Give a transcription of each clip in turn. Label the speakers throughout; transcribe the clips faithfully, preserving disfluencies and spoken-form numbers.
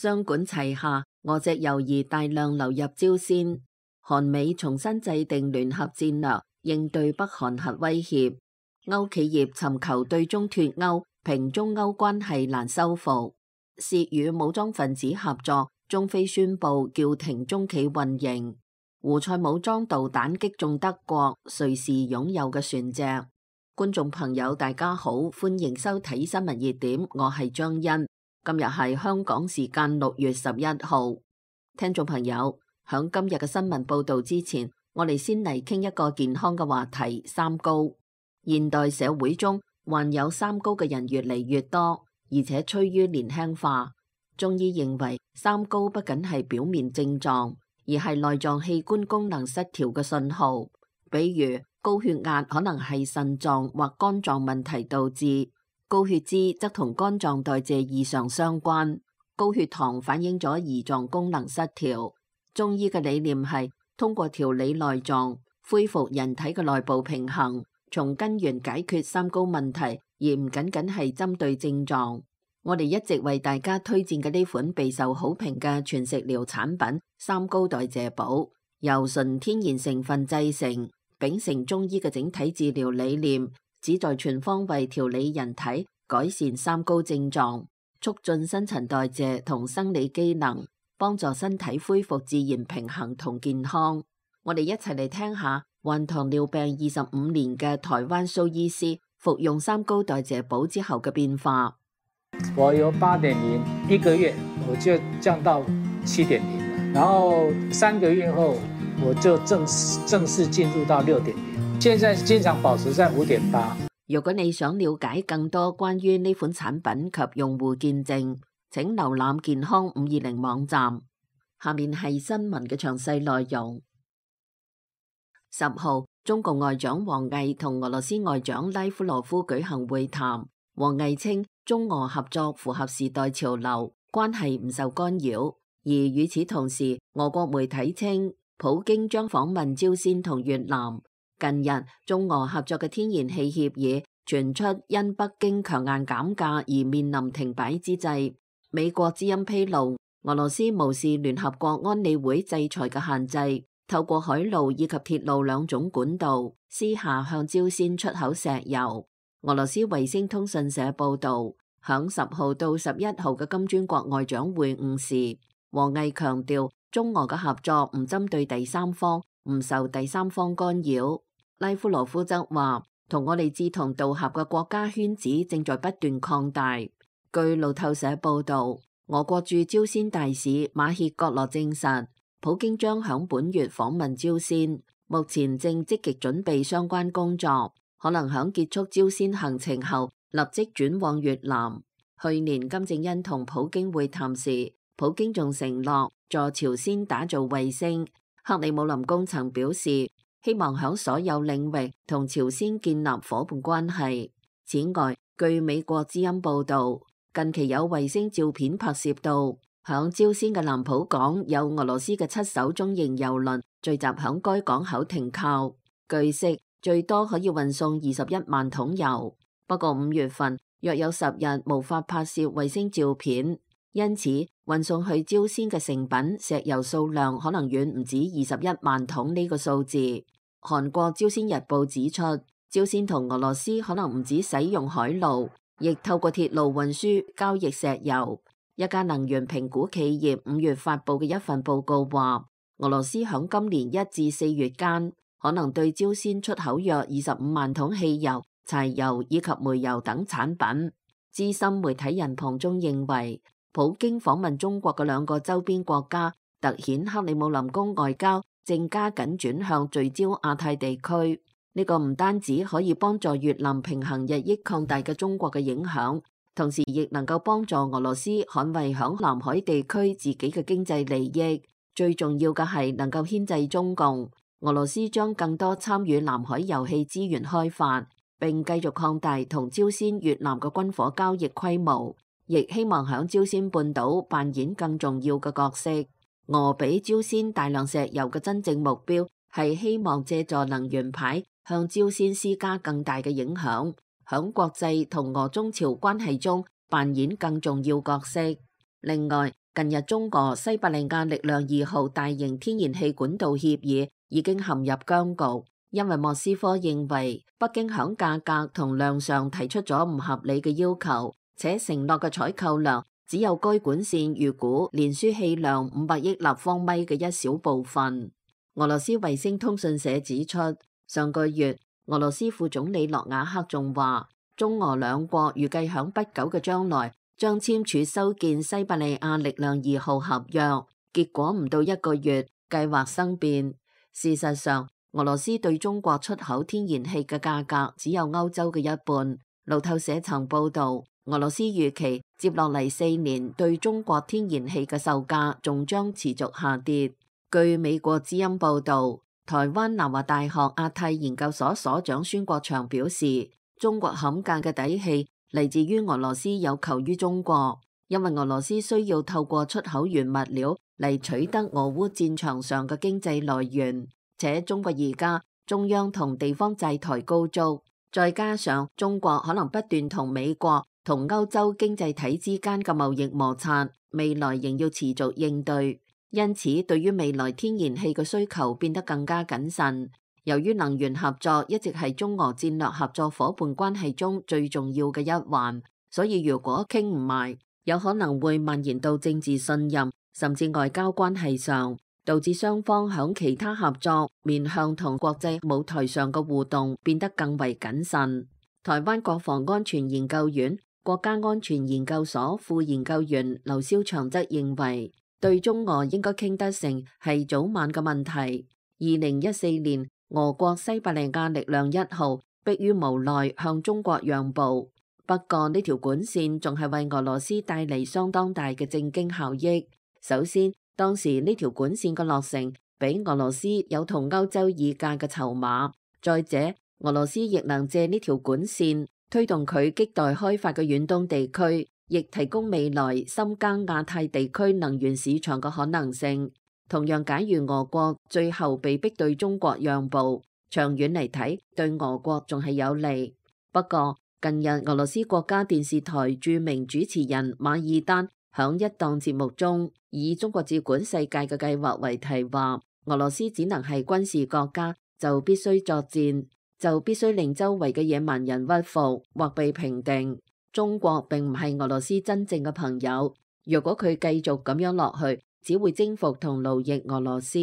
Speaker 1: 雙管齊下，俄籍猶豫大量流入朝鮮。韓美重新制定聯合戰略，應對北韓核威脅。歐企業尋求對中脫歐，平中歐關係難修復。涉與武裝分子合作，中非宣布叫停中企運營。胡塞武裝導彈擊中德國、瑞士擁有嘅船隻。觀眾朋友大家好，歡迎收睇新聞熱點，我係張欣。今日係香港時間六月十一號。聽眾朋友，響今日嘅新聞報道之前，我哋先嚟傾一個健康嘅話題：三高。現代社會中患有三高嘅人越嚟越多，而且趨於年輕化。中醫認為，三高不僅係表面症狀，而係內臟器官功能失調嘅信號。比如高血壓可能係腎臟或肝臟問題導致，高血脂則同肝臟代謝異常相關，高血糖反映咗胰臟功能失調。中醫嘅理念係通過調理內臟，恢復人體嘅內部平衡，從根源解決三高問題，而唔僅僅係針對症狀。我哋一直為大家推薦嘅呢款備受好評嘅全食療產品三高代謝寶，由純天然成分製成，秉承中醫嘅整體治療理念，旨在全方位調理人體，改善三高症狀，促進新陳代謝同生理機能，幫助身體恢復自然平衡同健康。我哋一齊嚟聽下患糖尿病二十五年嘅台灣蘇醫師服用三高代謝寶之後嘅變化。
Speaker 2: 我由八點零一個月我就降到七點零，然後三個月後我就正式正式進入到六點零，現在經常保持在五點八。
Speaker 1: 如果你想了解更多關於呢款產品及用戶見證，請瀏覽健康五二零網站。下面係新聞嘅詳細內容。十號，中國外長王毅同俄羅斯外長拉夫羅夫舉行會談。王毅稱，中俄合作符合時代潮流，關係唔受干擾。而與此同時，俄國媒體稱，普京將訪問朝鮮同越南。近日，中俄合作嘅天然氣協議傳出因北京強硬減價而面臨停擺之際，美國之音披露，俄羅斯無視聯合國安理會制裁嘅限制，透過海路以及鐵路兩種管道，私下向朝鮮出口石油。俄羅斯衛星通訊社報道，響十號到十一號嘅金磚國外長會晤時，王毅強調中俄嘅合作唔針對第三方，唔受第三方干擾。拉夫羅夫則話，同我哋志同道合嘅國家圈子正在不斷擴大。據路透社報道，俄國駐朝鮮大使馬歇葛羅證實，普京將響本月訪問朝鮮，目前正積極準備相關工作。可能喺結束朝鮮行程後，立即轉往越南。去年金正恩同普京會談時，普京仲承諾助朝鮮打造衛星。克里姆林宮曾表示，希望喺所有領域同朝鮮建立伙伴關係。此外，據美國之音報道，近期有衛星照片拍攝到，響朝鮮嘅南浦港有俄羅斯嘅七艘中型油輪聚集響該港口停靠。據悉，最多可以運送二十一萬桶油，不過五月份約有十日無法拍攝衛星照片，因此運送去朝鮮嘅成品石油數量可能遠唔止二十一萬桶呢個數字。韓國朝鮮日報指出，朝鮮同俄羅斯可能唔止使用海路，亦透過鐵路運輸交易石油。一家能源評估企業五月發佈嘅一份報告話，俄羅斯響今年一至四月間，可能對朝鮮出口約二十五萬桶汽油、柴油以及煤油等產品。資深媒體人龐中認為，普京訪問中國嘅兩個周邊國家，凸顯克里姆林宮外交正加緊轉向聚焦亞太地區。呢個唔單止可以幫助越南平衡日益擴大嘅中國嘅影響，同時亦能夠幫助俄羅斯捍衛響南海地區自己嘅經濟利益。最重要嘅係能夠牽制中共。俄羅斯將更多參與南海油氣資源開發，並繼續擴大同朝鮮、越南嘅軍火交易規模，亦希望響朝鮮半島扮演更重要嘅角色。俄俾朝鮮大量石油嘅真正目標係希望借助能源牌向朝鮮施加更大嘅影響，響國際同俄中朝關係中扮演更重要角色。另外，近日中俄西伯利亞力量二號大型天然氣管道協議已經陷入僵局，因為莫斯科認為北京響價格同量上提出咗唔合理嘅要求，且承諾嘅採購量只有該管線預估連輸氣量五百億立方米嘅一小部分。俄羅斯衛星通訊社指出，上個月俄羅斯副總理諾瓦克仲話，中俄兩國預計響不久嘅將來將簽署修建西伯利亞力量二號合約，結果唔到一個月，計劃生變。事實上，俄羅斯對中國出口天然氣嘅價格只有歐洲嘅一半。路透社曾報道，俄羅斯預期接落嚟四年對中國天然氣嘅售價仲將持續下跌。據美國之音報道，台灣南華大學亞太研究所所長孫國祥表示，中國砍價嘅底氣嚟自於俄羅斯有求於中國，因為俄羅斯需要透過出口原物料嚟取得俄烏戰場上嘅經濟來源，且中國而家中央同地方債台高築，再加上中國可能不斷同美國同歐洲經濟體之間嘅貿易摩擦，未來仍要持續應對，因此對於未來天然氣嘅需求變得更加謹慎。由於能源合作一直係中俄戰略合作夥伴關係中最重要嘅一環，所以如果傾唔埋，有可能會蔓延到政治信任甚至外交關係上，導致雙方響其他合作面向同國際舞台上嘅互動變得更為謹慎。台灣國防安全研究院國家安全研究所副研究員劉少祥則認為，對中俄應該傾得成係早晚嘅問題。二零一四年，俄國西伯利亞力量一號迫於無奈向中國讓步，不過呢條管線仲係為俄羅斯帶嚟相當大嘅政經效益。首先，當時呢條管線嘅落成，俾俄羅斯有同歐洲議價嘅籌碼；再者，俄羅斯亦能借呢條管線推動佢亟待開發嘅遠東地區，亦提供未來深耕亞太地區能源市場嘅可能性。同樣，假如俄國最後被逼對中國讓步，長遠嚟睇對俄國仲係有利。不過，近日俄羅斯國家電視台著名主持人馬爾丹響一檔節目中，以中國接管世界嘅計劃為題話，俄羅斯只能係軍事國家，就必須作戰，就必須令周圍嘅野蠻人屈服或被平定。中國並唔係俄羅斯真正嘅朋友，如果佢繼續咁樣落去，只會征服同奴役俄羅斯。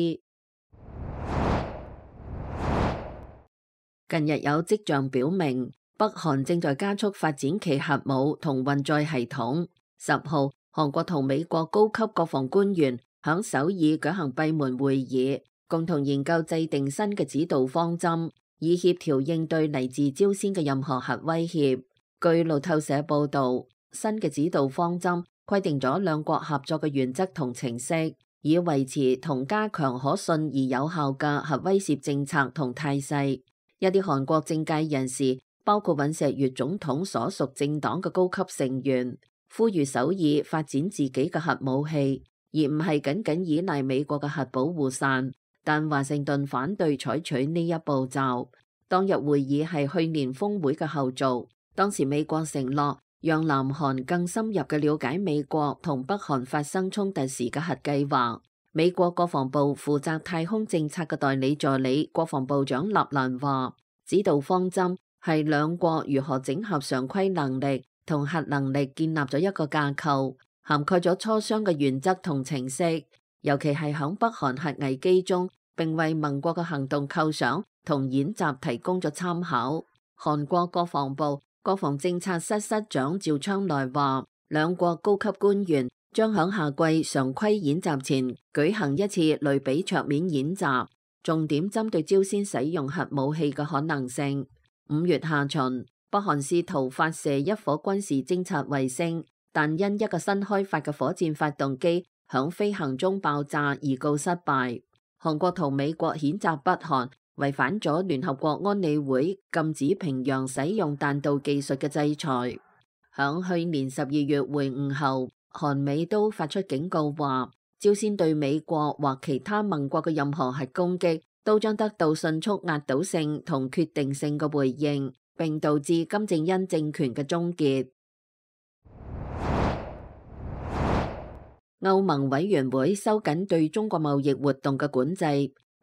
Speaker 1: 近日有跡象表明，北韓正在加速發展其核武同運載系統。十號，韓國同美國高級國防官員響首爾舉行閉門會議，共同研究制定新嘅指導方針，以協調應對嚟自朝鮮嘅任何核威脅。據路透社報道，新嘅指導方針規定咗兩國合作嘅原則同程式，以維持同加強可信而有效嘅核威懾政策同態勢。一啲韓國政界人士，包括尹錫悅總統所屬政黨嘅高級成員，呼籲首爾發展自己嘅核武器，而唔係僅僅依賴美國嘅核保護傘。但華盛頓反對採取呢一步驟。當日會議係去年峰會嘅後續，當時美國承諾讓南韓更深入嘅了解美國同北韓發生衝突時嘅核計劃。美國國防部負責太空政策嘅代理助理國防部長納蘭話，指導方針係兩國如何整合常規能力同核能力建立咗一個架構，涵蓋咗磋商嘅原則同程式，尤其係響北韓核危機中，並為盟國嘅行動構想同演習提供咗參考。韓國國防部國防政策室室長趙昌來話，兩國高級官員將響夏季常規演習前舉行一次類比桌面演習，重點針對朝鮮使用核武器嘅可能性。五月下旬，北韓試圖發射一顆軍事偵察衛星，但因一個新開發嘅火箭發動機響飛行中爆炸而告失敗。韓國同美國譴責北韓違反咗聯合國安理會禁止平壤使用彈道技術嘅制裁。響去年十二月會晤後，韓美都發出警告話，朝鮮對美國或其他盟國嘅任何核攻擊都將得到迅速壓倒性同決定性嘅回應，並導致金正恩政權嘅終結。歐盟委員會收緊對中國貿易活動嘅管制，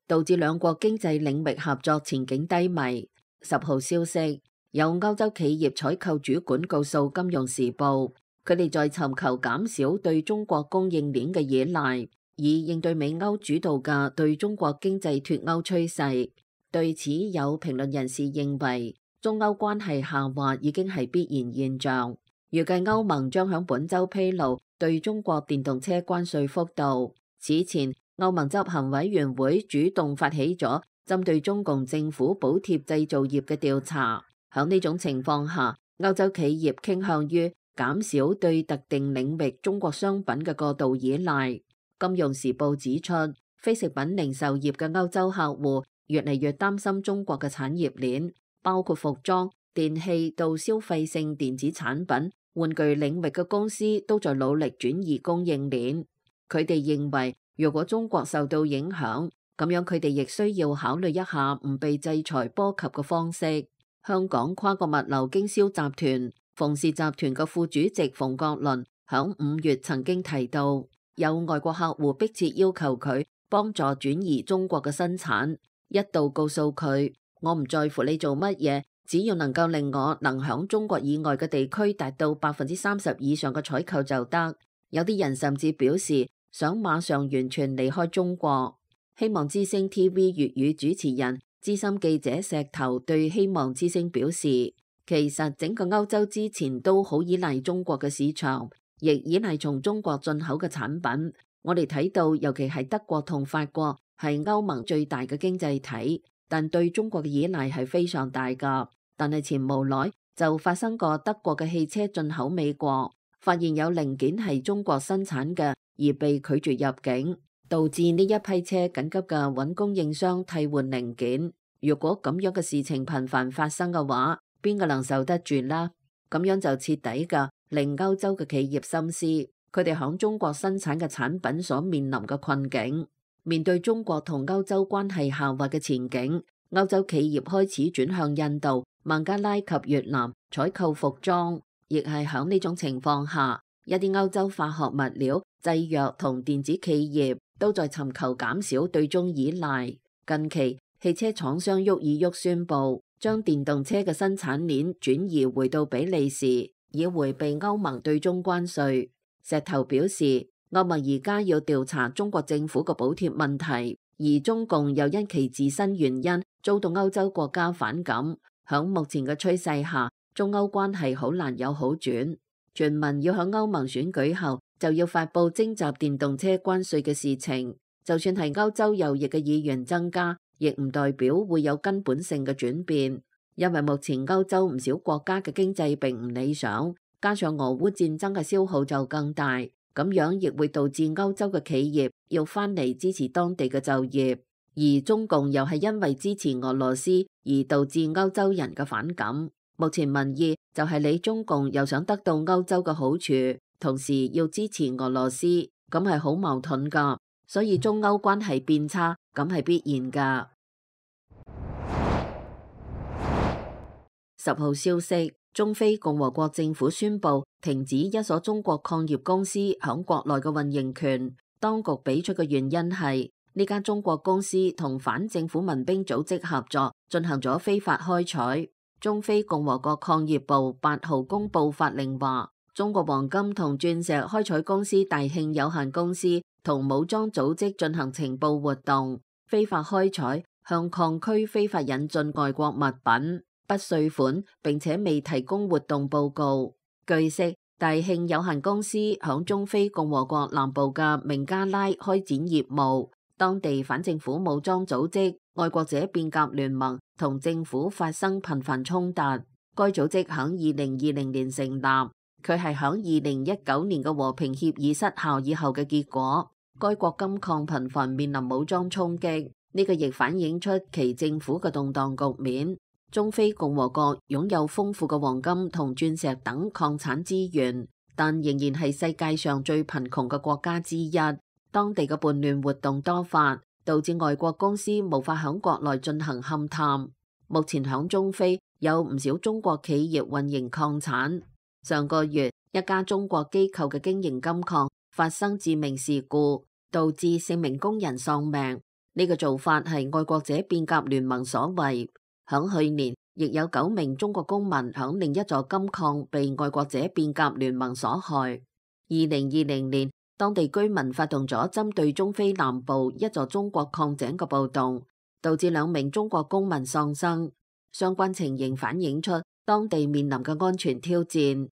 Speaker 1: 導致兩國經濟領域合作前景低迷。十號消息，有歐洲企業採購主管告訴《金融時報》，佢哋在尋求減少對中國供應鏈嘅依賴，以應對美歐主導嘅對中國經濟脫歐趨勢。對此，有評論人士認為，中歐關係下滑已經係必然現象。預計歐盟將響本週披露對中國電動車關稅幅度。此前，歐盟執行委員會主動發起咗針對中共政府補貼製造業嘅調查。響呢種情況下，歐洲企業傾向於減少對特定領域中國商品嘅過度依賴。金融時報指出，非食品零售業嘅歐洲客戶越嚟越擔心中國嘅產業鏈，包括服裝、電器到消費性電子產品、玩具領域嘅公司都在努力轉移供應鏈。佢哋認為，如果中國受到影響，咁樣佢哋亦需要考慮一下唔被制裁波及嘅方式。香港跨國物流經銷集團馮氏集團嘅副主席馮國倫響五月曾經提到，有外國客戶迫切要求佢幫助轉移中國嘅生產，一度告訴佢，我唔在乎你做乜嘢，只要能夠令我能響中國以外嘅地區達到百分之三十以上嘅採購就得。有啲人甚至表示想馬上完全離開中國。希望之聲 T V 粵語主持人資深記者石頭對希望之聲表示，其實整個歐洲之前都好依賴中國嘅市場，亦依賴從中國進口嘅產品。我哋睇到，尤其係德國同法國係歐盟最大嘅經濟體，但對中國嘅依賴係非常大㗎。但係前無耐就發生過德國嘅汽車進口美國，發現有零件係中國生產嘅而被拒絕入境，導致呢一批車緊急嘅揾供應商替換零件。如果咁樣嘅事情頻繁發生嘅話，邊個能受得住啦？咁樣就徹底嘅令歐洲嘅企業深思，佢哋響中國生產嘅產品所面臨嘅困境。面對中國同歐洲關係下滑嘅前景，歐洲企業開始轉向印度、孟加拉及越南採購服裝，亦係響呢種情況下，一啲歐洲化學物料、製藥同電子企業都在尋求減少對中依賴。近期，汽車廠商沃爾沃宣布將電動車嘅生產鏈轉移回到比利時，以迴避歐盟對中關稅。石頭表示，歐盟而家要調查中國政府嘅補貼問題，而中共又因其自身原因遭到歐洲國家反感。響目前嘅趨勢下，中歐關係好難有好轉。傳聞要響歐盟選舉後就要發布徵集電動車關稅嘅事情，就算係歐洲右翼嘅議員增加，亦唔代表會有根本性嘅轉變，因為目前歐洲唔少國家嘅經濟並唔理想，加上俄烏戰爭嘅消耗就更大，咁樣亦會導致歐洲嘅企業要翻嚟支持當地嘅就業，而中共又係因為支持俄羅斯而導致歐洲人嘅反感。目前民意就係你中共又想得到歐洲嘅好處，同時要支持俄羅斯，咁係好矛盾噶，所以中歐關係變差，咁係必然噶。十號消息，中非共和國政府宣布停止一所中國礦業公司響國內嘅運營權。當局俾出嘅原因係呢間中國公司同反政府民兵組織合作，進行咗非法開採。中非共和國礦業部八號公布法令話，中國黃金同鑽石開採公司大慶有限公司同武裝組織進行情報活動，非法開採，向礦區非法引進外國物品，不稅款，並且未提供活動報告。據悉，大慶有限公司響中非共和國南部嘅明加拉開展業務，當地反政府武裝組織愛國者變革聯盟同政府發生頻繁衝突。該組織響二零二零年成立，佢係響二零一九年嘅和平協議失效以後嘅結果。該國金礦頻繁面臨武裝衝擊，呢個亦反映出其政府嘅動盪局面。中非共和國擁有豐富嘅黃金同鑽石等礦產資源，但仍然係世界上最貧窮嘅國家之一。當地嘅叛亂活動多發，導致外國公司無法響國內進行勘探。目前響中非有唔少中國企業運營礦產。上個月，一家中國機構嘅經營金礦發生致命事故，導致四名工人喪命。呢個做法係愛國者變革聯盟所為。響去年，亦有九名中國公民響另一座金礦被愛國者變革聯盟所害。二零二零年，當地居民發動咗針對中非南部一座中國礦井嘅暴動，導致兩名中國公民喪生。相關情形反映出當地面臨嘅安全挑戰。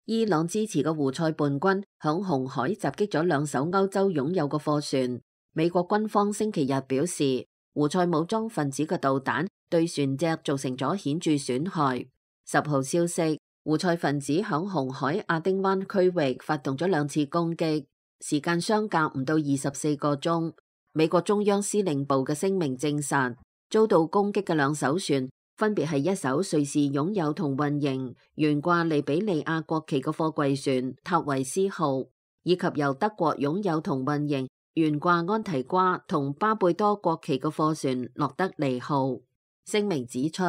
Speaker 1: 伊朗支持嘅胡塞叛軍響紅海襲擊咗兩艘歐洲擁有嘅貨船。美國軍方星期日表示，胡塞武裝分子嘅導彈對船隻造成咗顯著損害。十號消息，胡塞分子響紅海亞丁灣區域發動咗兩次攻擊，時間相隔唔到二十四個鐘。美國中央司令部嘅聲明證實，遭到攻擊嘅兩艘船分別係一艘瑞士擁有同運營懸掛利比里亞國旗嘅貨櫃船塔維斯號，以及由德國擁有同運營懸掛安提瓜同巴貝多國旗嘅貨船洛德尼號。聲明指出，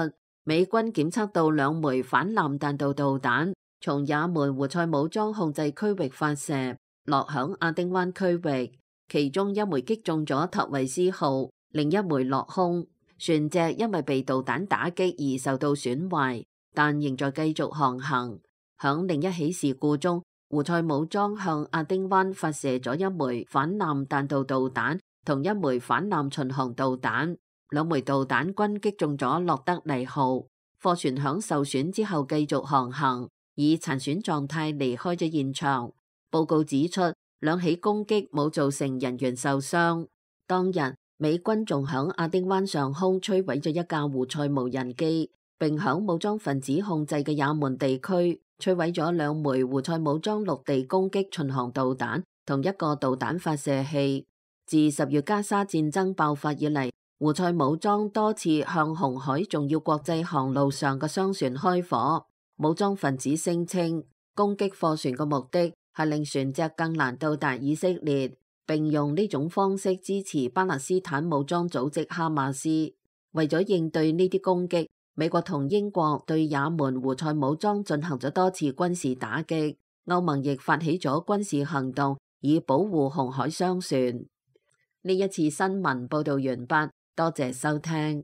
Speaker 1: 美軍檢測到兩枚反艦彈道導彈從也門胡塞武裝控制區域發射，落響亞丁灣區域，其中一枚擊中咗塔維斯號，另一枚落空。船隻因為被導彈打擊而受到損壞，但仍在繼續航行。響另一起事故中，胡塞武裝向亞丁灣發射咗一枚反艦彈道導彈同一枚反艦巡航導彈，兩枚導彈均擊中咗洛德尼號。貨船響受損之後繼續航行，以殘損狀態離開咗現場。報告指出，兩起攻擊冇造成人員受傷。當日，美軍仲響亞丁灣上空摧毀咗一架胡塞無人機，並響武裝分子控制嘅也門地區摧毀咗兩枚胡塞武裝陸地攻擊巡航導彈同一個導彈發射器。自十月加沙戰爭爆發以嚟，胡塞武裝多次向紅海重要國際航路上嘅商船開火。武裝分子聲稱，攻擊貨船嘅目的係令船隻更難到達以色列，並用呢種方式支持巴勒斯坦武裝組織哈馬斯。為咗應對呢啲攻擊，美國同英國對也門胡塞武裝進行咗多次軍事打擊，歐盟亦發起咗軍事行動以保護紅海商船。呢一次新聞報道完畢，多謝收聽。